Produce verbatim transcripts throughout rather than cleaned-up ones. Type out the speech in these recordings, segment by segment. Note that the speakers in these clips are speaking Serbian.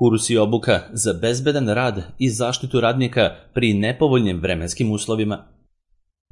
Kurs i obuka za bezbedan rad i zaštitu radnika pri nepovoljnim vremenskim uslovima.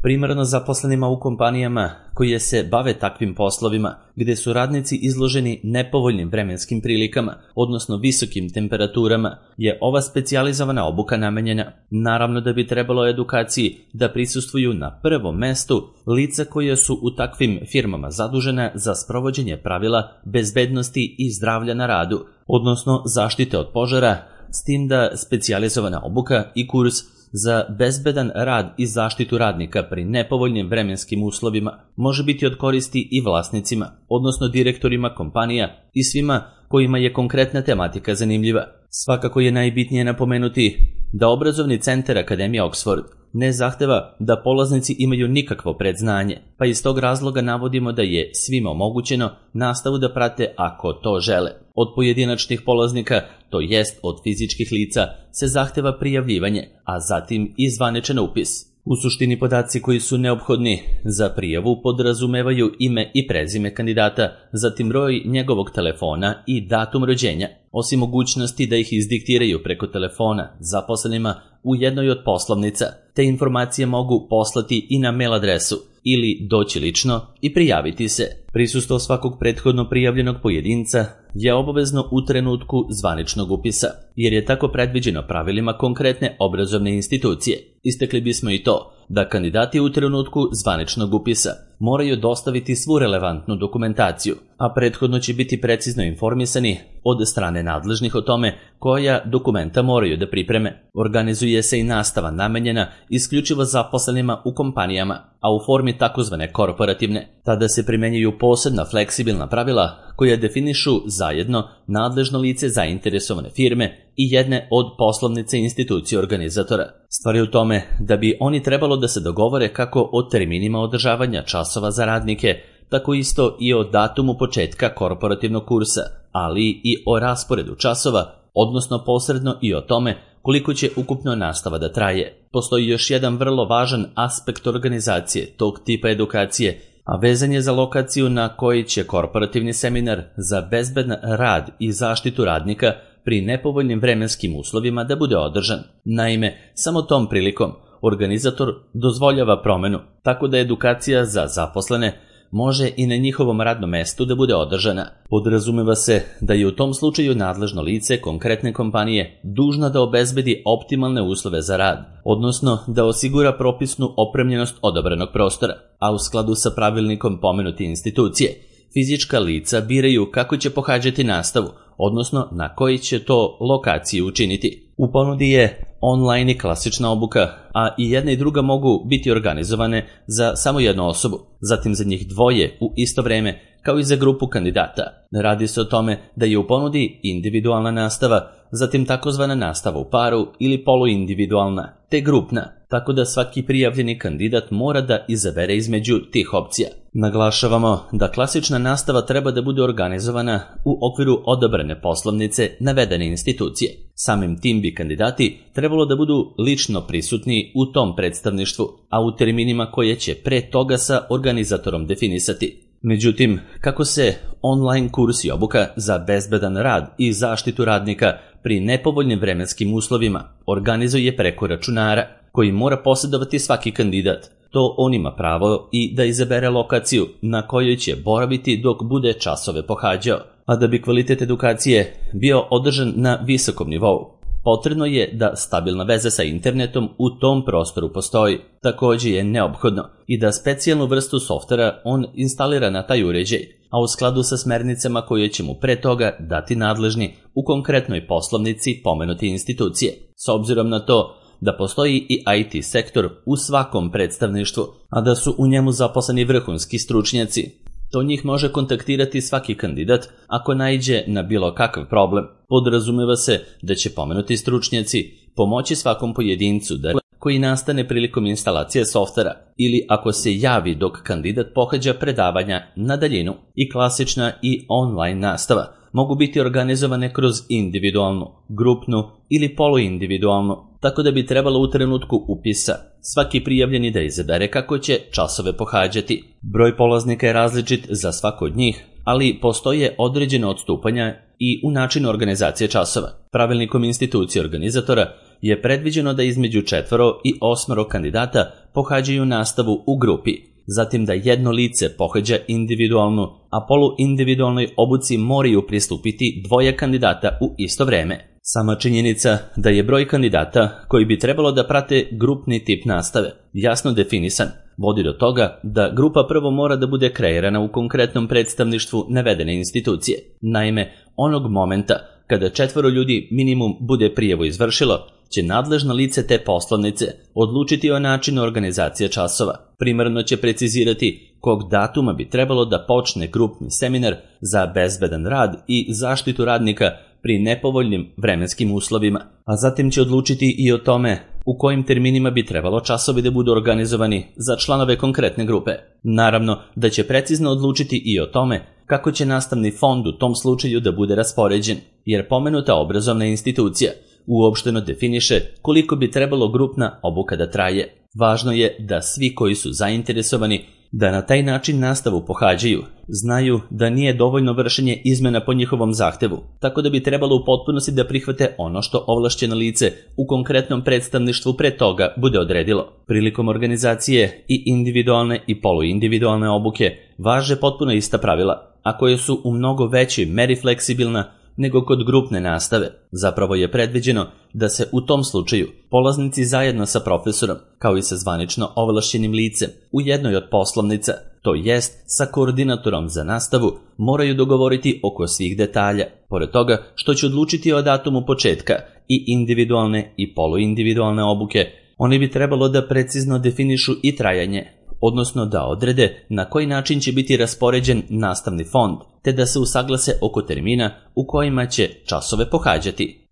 Primarno zaposlenima u kompanijama koje se bave takvim poslovima, gde su radnici izloženi nepovoljnim vremenskim prilikama, odnosno visokim temperaturama, je ova specijalizovana obuka namenjena. Naravno da bi trebalo edukaciji da prisustvuju na prvom mestu lica koja su u takvim firmama zadužena za sprovođenje pravila bezbednosti i zdravlja na radu, odnosno zaštite od požara, s tim da specijalizovana obuka i kurs za bezbedan rad i zaštitu radnika pri nepovoljnim vremenskim uslovima može biti od koristi i vlasnicima, odnosno direktorima kompanija i svima kojima je konkretna tematika zanimljiva. Svakako je najbitnije napomenuti da obrazovni centar Akademija Oxford ne zahteva da polaznici imaju nikakvo predznanje, pa iz tog razloga navodimo da je svima omogućeno nastavu da prate ako to žele. Od pojedinačnih polaznika, to jest od fizičkih lica, se zahteva prijavljivanje, a zatim i zvaničan upis. U suštini podaci koji su neophodni za prijavu podrazumevaju ime i prezime kandidata, zatim broj njegovog telefona i datum rođenja, osim mogućnosti da ih izdiktiraju preko telefona zaposlenima u jednoj od poslovnica. Te informacije mogu poslati i na mail adresu ili doći lično i prijaviti se. Prisustvo svakog prethodno prijavljenog pojedinca je obavezno u trenutku zvaničnog upisa, jer je tako predviđeno pravilima konkretne obrazovne institucije. Istakli bismo i to da kandidati u trenutku zvaničnog upisa moraju dostaviti svu relevantnu dokumentaciju, a prethodno će biti precizno informisani od strane nadležnih o tome koja dokumenta moraju da pripreme. Organizuje se i nastava namenjena isključivo zaposlenima u kompanijama, a u formi takozvane korporativne. Tada se primenjuju posebna fleksibilna pravila koja definišu zajedno nadležno lice zainteresovane firme i jedne od poslovnice institucije organizatora. Stvar je u tome da bi oni trebalo da se dogovore kako o terminima održavanja časova za radnike, tako isto i o datumu početka korporativnog kursa, ali i o rasporedu časova, odnosno posredno i o tome koliko će ukupno nastava da traje. Postoji još jedan vrlo važan aspekt organizacije tog tipa edukacije, a vezan je za lokaciju na kojoj će korporativni seminar za bezbedan rad i zaštitu radnika pri nepovoljnim vremenskim uslovima da bude održan. Naime, samo tom prilikom organizator dozvoljava promenu, tako da edukacija za zaposlene može i na njihovom radnom mestu da bude održana. Podrazumeva se da je u tom slučaju nadležno lice konkretne kompanije dužna da obezbedi optimalne uslove za rad, odnosno da osigura propisnu opremljenost odabranog prostora, a u skladu sa pravilnikom pomenute institucije. Fizička lica biraju kako će pohađati nastavu, odnosno na koji će to lokaciji učiniti. U ponudi je online i klasična obuka, a i jedna i druga mogu biti organizovane za samo jednu osobu, zatim za njih dvoje u isto vreme, kao i za grupu kandidata. Radi se o tome da je u ponudi individualna nastava, zatim takozvana nastava u paru ili poluindividualna, te grupna, tako da svaki prijavljeni kandidat mora da izabere između tih opcija. Naglašavamo da klasična nastava treba da bude organizovana u okviru odabrane poslovnice navedene institucije. Samim tim bi kandidati trebalo da budu lično prisutni u tom predstavništvu, a u terminima koje će pre toga sa organizatorom definisati. Međutim, kako se online kurs i obuka za bezbedan rad i zaštitu radnika pri nepovoljnim vremenskim uslovima organizuje preko računara koji mora posjedovati svaki kandidat, to on ima pravo i da izabere lokaciju na kojoj će boraviti dok bude časove pohađao, a da bi kvalitet edukacije bio održan na visokom nivou. Potrebno je da stabilna veza sa internetom u tom prostoru postoji. Također je neophodno i da specijalnu vrstu softvera on instalira na taj uređaj, a u skladu sa smernicama koje će mu pre toga dati nadležni u konkretnoj poslovnici pomenute institucije. S obzirom na to da postoji i I T sektor u svakom predstavništvu, a da su u njemu zaposleni vrhunski stručnjaci, to njih može kontaktirati svaki kandidat ako naiđe na bilo kakav problem. Podrazumeva se da će pomenuti stručnjaci pomoći svakom pojedincu da koji nastane prilikom instalacije softvera ili ako se javi dok kandidat pohađa predavanja na daljinu. I klasična i online nastava mogu biti organizovane kroz individualnu, grupnu ili poluindividualnu, tako da bi trebalo u trenutku upisa svaki prijavljeni da izabere kako će časove pohađati. Broj polaznika je različit za svako od njih, ali postoje određene odstupanja i u načinu organizacije časova. Pravilnikom institucije organizatora je predviđeno da između četvoro i osmoro kandidata pohađaju nastavu u grupi, zatim da jedno lice pohađa individualnu, a poluindividualnoj obuci moraju pristupiti dvoje kandidata u isto vreme. Sama činjenica da je broj kandidata koji bi trebalo da prate grupni tip nastave jasno definisan, vodi do toga da grupa prvo mora da bude kreirana u konkretnom predstavništvu navedene institucije. Naime, onog momenta kada četvoro ljudi minimum bude prijavu izvršilo, će nadležno lice te poslovnice odlučiti o načinu organizacije časova. Primarno će precizirati kog datuma bi trebalo da počne grupni seminar za bezbedan rad i zaštitu radnika pri nepovoljnim vremenskim uslovima, a zatim će odlučiti i o tome u kojim terminima bi trebalo časovi da budu organizovani za članove konkretne grupe. Naravno da će precizno odlučiti i o tome kako će nastavni fond u tom slučaju da bude raspoređen, jer pomenuta obrazovna institucija uopšteno definiše koliko bi trebalo grupna obuka da traje. Važno je da svi koji su zainteresovani da na taj način nastavu pohađaju, znaju da nije dovoljno vršenje izmena po njihovom zahtevu, tako da bi trebalo u potpunosti da prihvate ono što ovlašćeno lice u konkretnom predstavništvu pre toga bude odredilo. Prilikom organizacije i individualne i poluindividualne obuke važe potpuno ista pravila, a koje su u mnogo većoj meri fleksibilna nego kod grupne nastave. Zapravo je predviđeno da se u tom slučaju polaznici zajedno sa profesorom, kao i sa zvanično ovlašćenim licem, u jednoj od poslovnica, to jest sa koordinatorom za nastavu, moraju dogovoriti oko svih detalja. Pored toga što će odlučiti o datumu početka i individualne i poluindividualne obuke, oni bi trebalo da precizno definišu i trajanje, odnosno da odrede na koji način će biti raspoređen nastavni fond, te da se usaglase oko termina u kojima će časove pohađati.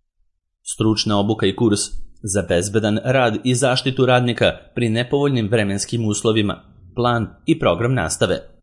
Stručna obuka i kurs za bezbedan rad i zaštitu radnika pri nepovoljnim vremenskim uslovima, plan i program nastave.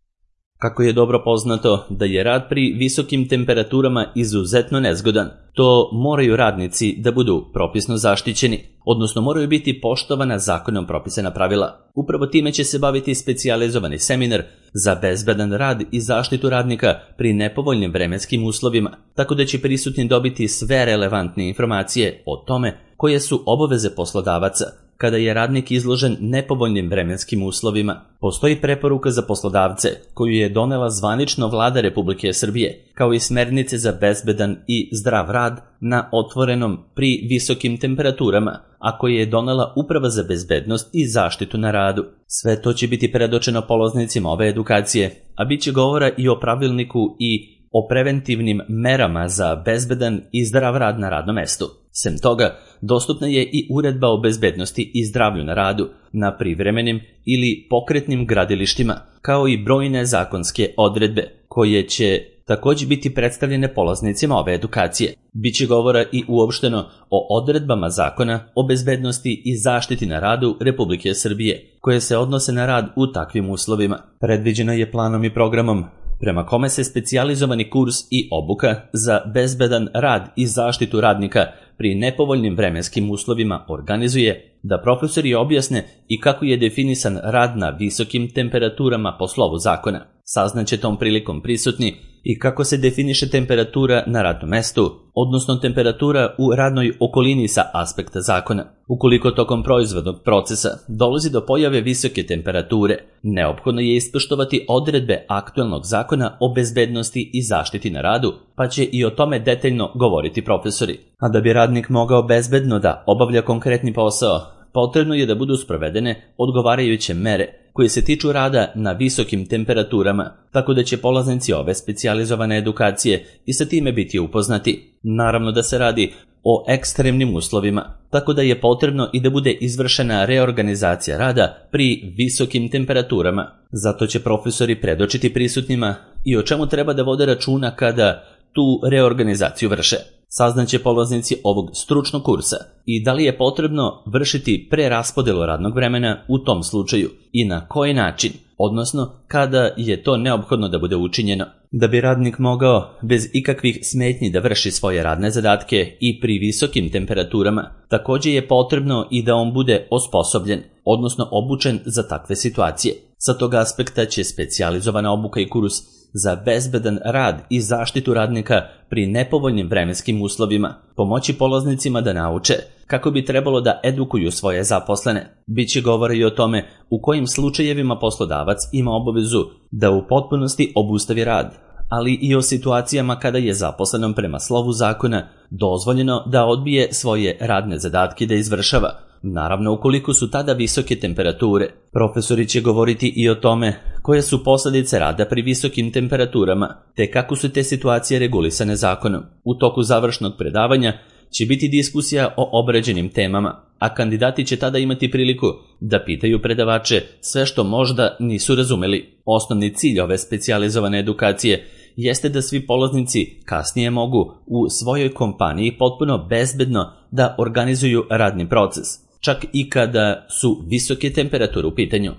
Kako je dobro poznato da je rad pri visokim temperaturama izuzetno nezgodan, to moraju radnici da budu propisno zaštićeni, odnosno moraju biti poštovana zakonom propisana pravila. Upravo time će se baviti specijalizovani seminar za bezbedan rad i zaštitu radnika pri nepovoljnim vremenskim uslovima, tako da će prisutni dobiti sve relevantne informacije o tome koje su obaveze poslodavaca kada je radnik izložen nepovoljnim vremenskim uslovima. Postoji preporuka za poslodavce koju je donela zvanično Vlada Republike Srbije, kao i smernice za bezbedan i zdrav rad na otvorenom pri visokim temperaturama, a koje je donela Uprava za bezbednost i zaštitu na radu. Sve to će biti predočeno polaznicima ove edukacije, a bit će govora i o pravilniku i o preventivnim merama za bezbedan i zdrav rad na radnom mestu. Sem toga, dostupna je i uredba o bezbednosti i zdravlju na radu na privremenim ili pokretnim gradilištima, kao i brojne zakonske odredbe, koje će također biti predstavljene polaznicima ove edukacije. Biće govora i uopšteno o odredbama zakona o bezbednosti i zaštiti na radu Republike Srbije, koje se odnose na rad u takvim uslovima. Predviđeno je planom i programom prema kome se specijalizovani kurs i obuka za bezbedan rad i zaštitu radnika pri nepovoljnim vremenskim uslovima organizuje, da profesori objasne i kako je definisan rad na visokim temperaturama po slovu zakona. Saznaće tom prilikom prisutni i kako se definiše temperatura na radnom mestu, odnosno temperatura u radnoj okolini sa aspekta zakona. Ukoliko tokom proizvodnog procesa dolazi do pojave visoke temperature, neophodno je ispoštovati odredbe aktuelnog zakona o bezbednosti i zaštiti na radu, pa će i o tome detaljno govoriti profesori. A da bi radnik mogao bezbedno da obavlja konkretni posao, potrebno je da budu sprovedene odgovarajuće mere koje se tiču rada na visokim temperaturama, tako da će polaznici ove specijalizovane edukacije i sa time biti upoznati. Naravno da se radi o ekstremnim uslovima, tako da je potrebno i da bude izvršena reorganizacija rada pri visokim temperaturama. Zato će profesori predočiti prisutnima i o čemu treba da vode računa kada tu reorganizaciju vrše. Saznaće polaznici ovog stručnog kursa i da li je potrebno vršiti preraspodelu radnog vremena u tom slučaju i na koji način, odnosno kada je to neophodno da bude učinjeno. Da bi radnik mogao bez ikakvih smetnji da vrši svoje radne zadatke i pri visokim temperaturama, također je potrebno i da on bude osposobljen, odnosno obučen za takve situacije. Sa tog aspekta će specijalizovana obuka i kurs za bezbedan rad i zaštitu radnika pri nepovoljnim vremenskim uslovima, pomoći polaznicima da nauče kako bi trebalo da edukuju svoje zaposlene. Biće govora i o tome u kojim slučajevima poslodavac ima obavezu da u potpunosti obustavi rad, ali i o situacijama kada je zaposlenom prema slovu zakona dozvoljeno da odbije svoje radne zadatke da izvršava, naravno ukoliko su tada visoke temperature. Profesori će govoriti i o tome koje su posljedice rada pri visokim temperaturama, te kako su te situacije regulisane zakonom. U toku završnog predavanja će biti diskusija o obrađenim temama, a kandidati će tada imati priliku da pitaju predavače sve što možda nisu razumeli. Osnovni cilj ove specijalizovane edukacije jeste da svi polaznici kasnije mogu u svojoj kompaniji potpuno bezbedno da organizuju radni proces, čak i kada su visoke temperature u pitanju.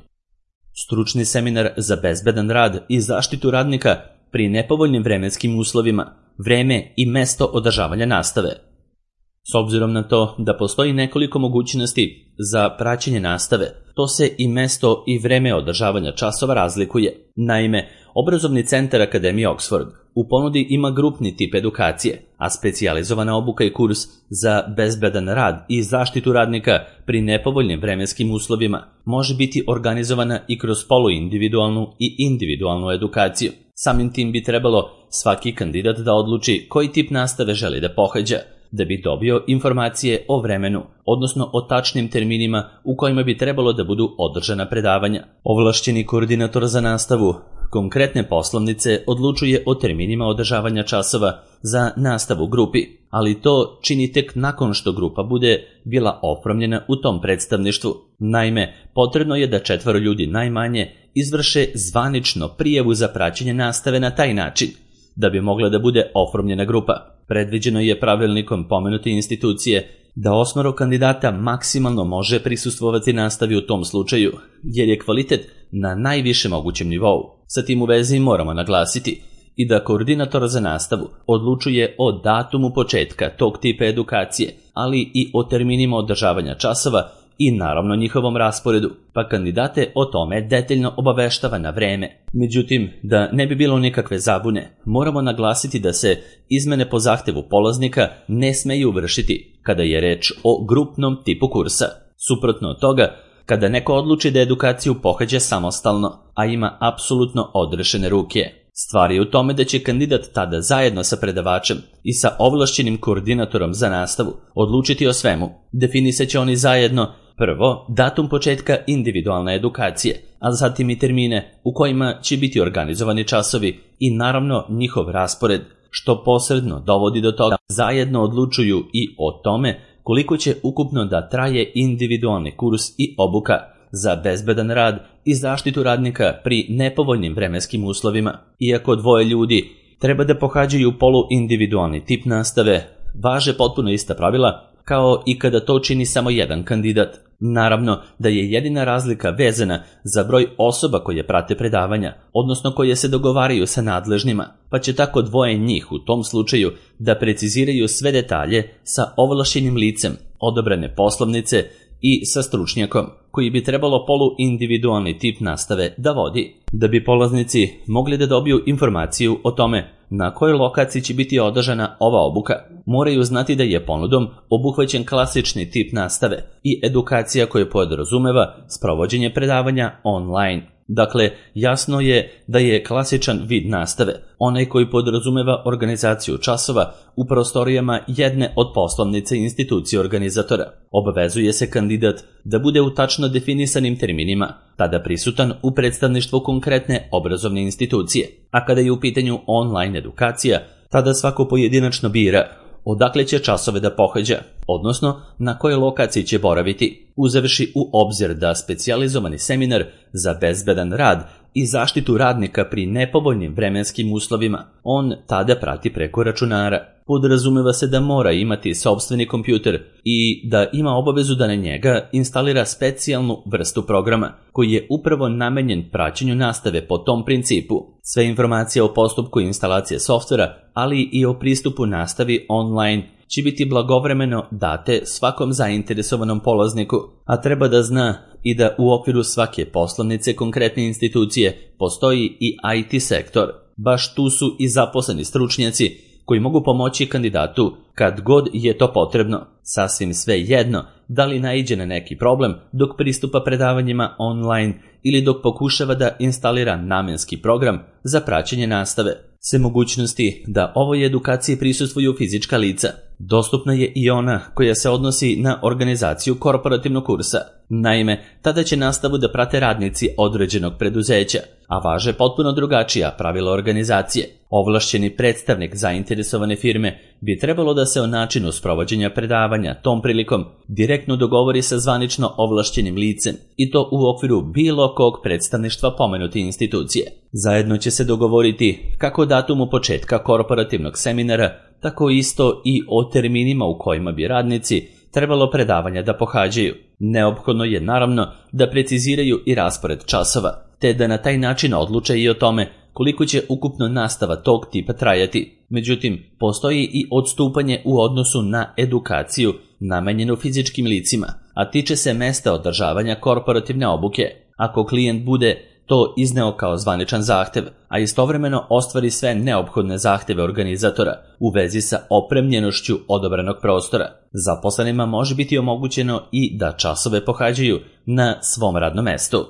Stručni seminar za bezbedan rad i zaštitu radnika pri nepovoljnim vremenskim uslovima, vreme i mesto održavanja nastave. S obzirom na to da postoji nekoliko mogućnosti za praćenje nastave, to se i mesto i vreme održavanja časova razlikuje. Naime, Obrazovni centar Akademije Oxford u ponudi ima grupni tip edukacije, a specijalizovana obuka i kurs za bezbedan rad i zaštitu radnika pri nepovoljnim vremenskim uslovima može biti organizovana i kroz poluindividualnu i individualnu edukaciju. Samim tim bi trebalo svaki kandidat da odluči koji tip nastave želi da pohađa, da bi dobio informacije o vremenu, odnosno o tačnim terminima u kojima bi trebalo da budu održana predavanja. Ovlašćeni koordinator za nastavu konkretne poslovnice odlučuje o terminima održavanja časova za nastavu u grupi, ali to čini tek nakon što grupa bude bila oformljena u tom predstavništvu. Naime, potrebno je da četvoro ljudi najmanje izvrše zvanično prijavu za praćenje nastave na taj način, da bi mogla da bude oformljena grupa. Predviđeno je pravilnikom pomenute institucije da osmoro kandidata maksimalno može prisustvovati nastavi u tom slučaju, jer je kvalitet na najvišem mogućem nivou. Sa tim u vezi moramo naglasiti i da koordinator za nastavu odlučuje o datumu početka tog tipa edukacije, ali i o terminima održavanja časova i naravno njihovom rasporedu, pa kandidate o tome detaljno obaveštava na vreme. Međutim, da ne bi bilo nikakve zabune, moramo naglasiti da se izmene po zahtevu polaznika ne smeju vršiti kada je reč o grupnom tipu kursa. Suprotno od toga, kada neko odluči da edukaciju pohađa samostalno, a ima apsolutno odrešene ruke. Stvar je u tome da će kandidat tada zajedno sa predavačem i sa ovlašćenim koordinatorom za nastavu odlučiti o svemu. Definisat će oni zajedno prvo datum početka individualne edukacije, a zatim i termine u kojima će biti organizovani časovi i naravno njihov raspored, što posredno dovodi do toga da zajedno odlučuju i o tome koliko će ukupno da traje individualni kurs i obuka za bezbedan rad i zaštitu radnika pri nepovoljnim vremenskim uslovima. Iako dvoje ljudi treba da pohađaju poluindividualni tip nastave, važe potpuno ista pravila kao i kada to čini samo jedan kandidat. Naravno da je jedina razlika vezana za broj osoba koje prate predavanja, odnosno koje se dogovaraju sa nadležnima, pa će tako dvoje njih u tom slučaju da preciziraju sve detalje sa ovlašćenim licem, odabrane poslovnice i sa stručnjakom, koji bi trebalo poluindividualni tip nastave da vodi. Da bi polaznici mogli da dobiju informaciju o tome na kojoj lokaciji će biti održana ova obuka, moraju znati da je ponudom obuhvaćen klasični tip nastave i edukacija koja podrazumeva sprovođenje predavanja online. Dakle, jasno je da je klasičan vid nastave onaj koji podrazumeva organizaciju časova u prostorijama jedne od poslovnice institucije organizatora. Obavezuje se kandidat da bude u tačno definisanim terminima, tada prisutan u predstavništvu konkretne obrazovne institucije, a kada je u pitanju online edukacija, tada svako pojedinačno bira odakle će časove da pohađa, odnosno na kojoj lokaciji će boraviti, uzevši u obzir da specijalizovani seminar za bezbedan rad i zaštitu radnika pri nepovoljnim vremenskim uslovima on tada prati preko računara. Podrazumeva se da mora imati sopstveni kompjuter i da ima obavezu da na njega instalira specijalnu vrstu programa koji je upravo namenjen praćenju nastave po tom principu. Sve informacije o postupku instalacije softvera, ali i o pristupu nastavi online će biti blagovremeno date svakom zainteresovanom polazniku, a treba da zna i da u okviru svake poslovnice konkretne institucije postoji i I T sektor. baš tu su i zaposleni stručnjaci koji mogu pomoći kandidatu kad god je to potrebno, sasvim sve jedno da li naiđe na neki problem dok pristupa predavanjima online ili dok pokušava da instalira namenski program za praćenje nastave. Sve mogućnosti da ovoj edukaciji prisustvuju fizička lica. Dostupna je i ona koja se odnosi na organizaciju korporativnog kursa. Naime, tada će nastavu da prate radnici određenog preduzeća, a važe potpuno drugačija pravila organizacije. Ovlašćeni predstavnik zainteresovane firme bi trebalo da se o načinu sprovođenja predavanja tom prilikom direktno dogovori sa zvanično ovlašćenim licem i to u okviru bilo kog predstavništva pomenute institucije. Zajedno će se dogovoriti kako datumu početka korporativnog seminara, tako isto i o terminima u kojima bi radnici trebalo predavanja da pohađaju. Neophodno je naravno da preciziraju i raspored časova, te da na taj način odluče i o tome koliko će ukupno nastava tog tipa trajati. Međutim, postoji i odstupanje u odnosu na edukaciju namenjenu fizičkim licima, a tiče se mesta održavanja korporativne obuke. Ako klijent bude to izneo kao zvaničan zahtev, a istovremeno ostvari sve neophodne zahteve organizatora u vezi sa opremljenošću odabranog prostora, zaposlenima može biti omogućeno i da časove pohađaju na svom radnom mestu.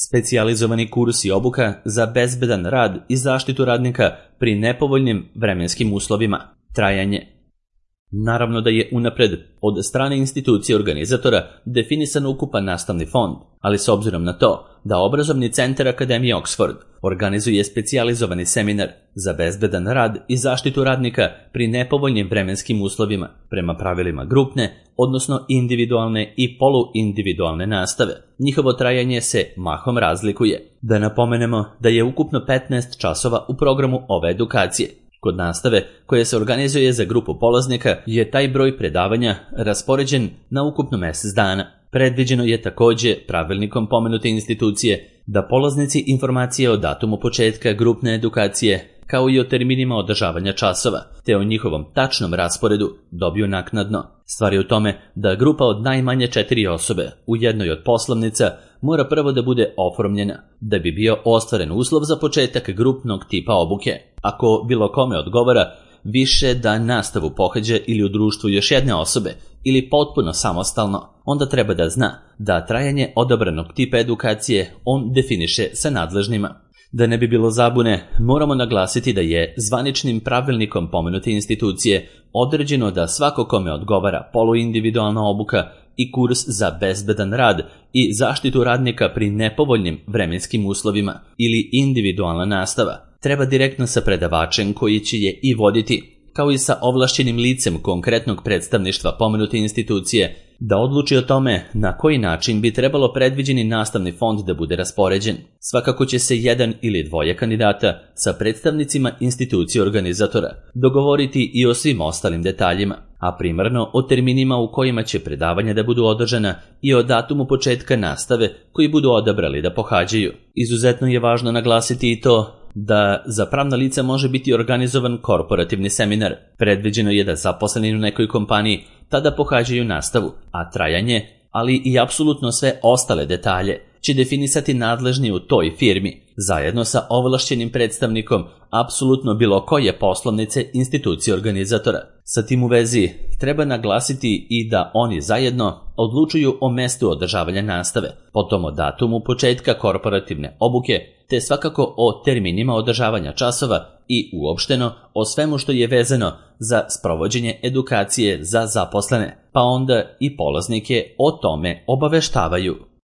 Specijalizovani kurs i obuka za bezbedan rad i zaštitu radnika pri nepovoljnim vremenskim uslovima. Trajanje. Naravno da je unapred od strane institucije organizatora definisan ukupan nastavni fond, ali s obzirom na to da obrazovni centar Akademije Oxford organizuje specijalizovani seminar za bezbedan rad i zaštitu radnika pri nepovoljnim vremenskim uslovima prema pravilima grupne, odnosno individualne i poluindividualne nastave, njihovo trajanje se mahom razlikuje. Da napomenemo da je ukupno petnaest časova u programu ove edukacije. Kod nastave, koja se organizuje za grupu polaznika, je taj broj predavanja raspoređen na ukupno mesec dana. Predviđeno je takođe pravilnikom pomenute institucije da polaznici informacije o datumu početka grupne edukacije, kao i o terminima održavanja časova, te o njihovom tačnom rasporedu dobiju naknadno. Stvar je u tome da grupa od najmanje četiri osobe u jednoj od poslovnica mora prvo da bude oformljena, da bi bio ostvaren uslov za početak grupnog tipa obuke. Ako bilo kome odgovara više da nastavu pohađa ili u društvu još jedne osobe ili potpuno samostalno, onda treba da zna da trajanje odabranog tipa edukacije on definiše sa nadležnima. Da ne bi bilo zabune, moramo naglasiti da je zvaničnim pravilnikom pomenute institucije određeno da svako kome odgovara poluindividualna obuka i kurs za bezbedan rad i zaštitu radnika pri nepovoljnim vremenskim uslovima ili individualna nastava treba direktno sa predavačem koji će je i voditi, kao i sa ovlašćenim licem konkretnog predstavništva pomenute institucije, da odluči o tome na koji način bi trebalo predviđeni nastavni fond da bude raspoređen. Svakako će se jedan ili dvoje kandidata sa predstavnicima institucije organizatora dogovoriti i o svim ostalim detaljima, a primarno o terminima u kojima će predavanja da budu održana i o datumu početka nastave koji budu odabrali da pohađaju. Izuzetno je važno naglasiti i to da za pravna lica može biti organizovan korporativni seminar. Predviđeno je da zaposleni u nekoj kompaniji tada pohađaju nastavu, a trajanje, ali i apsolutno sve ostale detalje će definisati nadležni u toj firmi, zajedno sa ovlašćenim predstavnikom apsolutno bilo koje poslovnice institucije organizatora. Sa tim u vezi treba naglasiti i da oni zajedno odlučuju o mestu održavanja nastave, potom o datumu početka korporativne obuke, te svakako o terminima održavanja časova i uopšteno o svemu što je vezano za sprovođenje edukacije za zaposlene, pa onda i polaznike o tome obaveštavaju.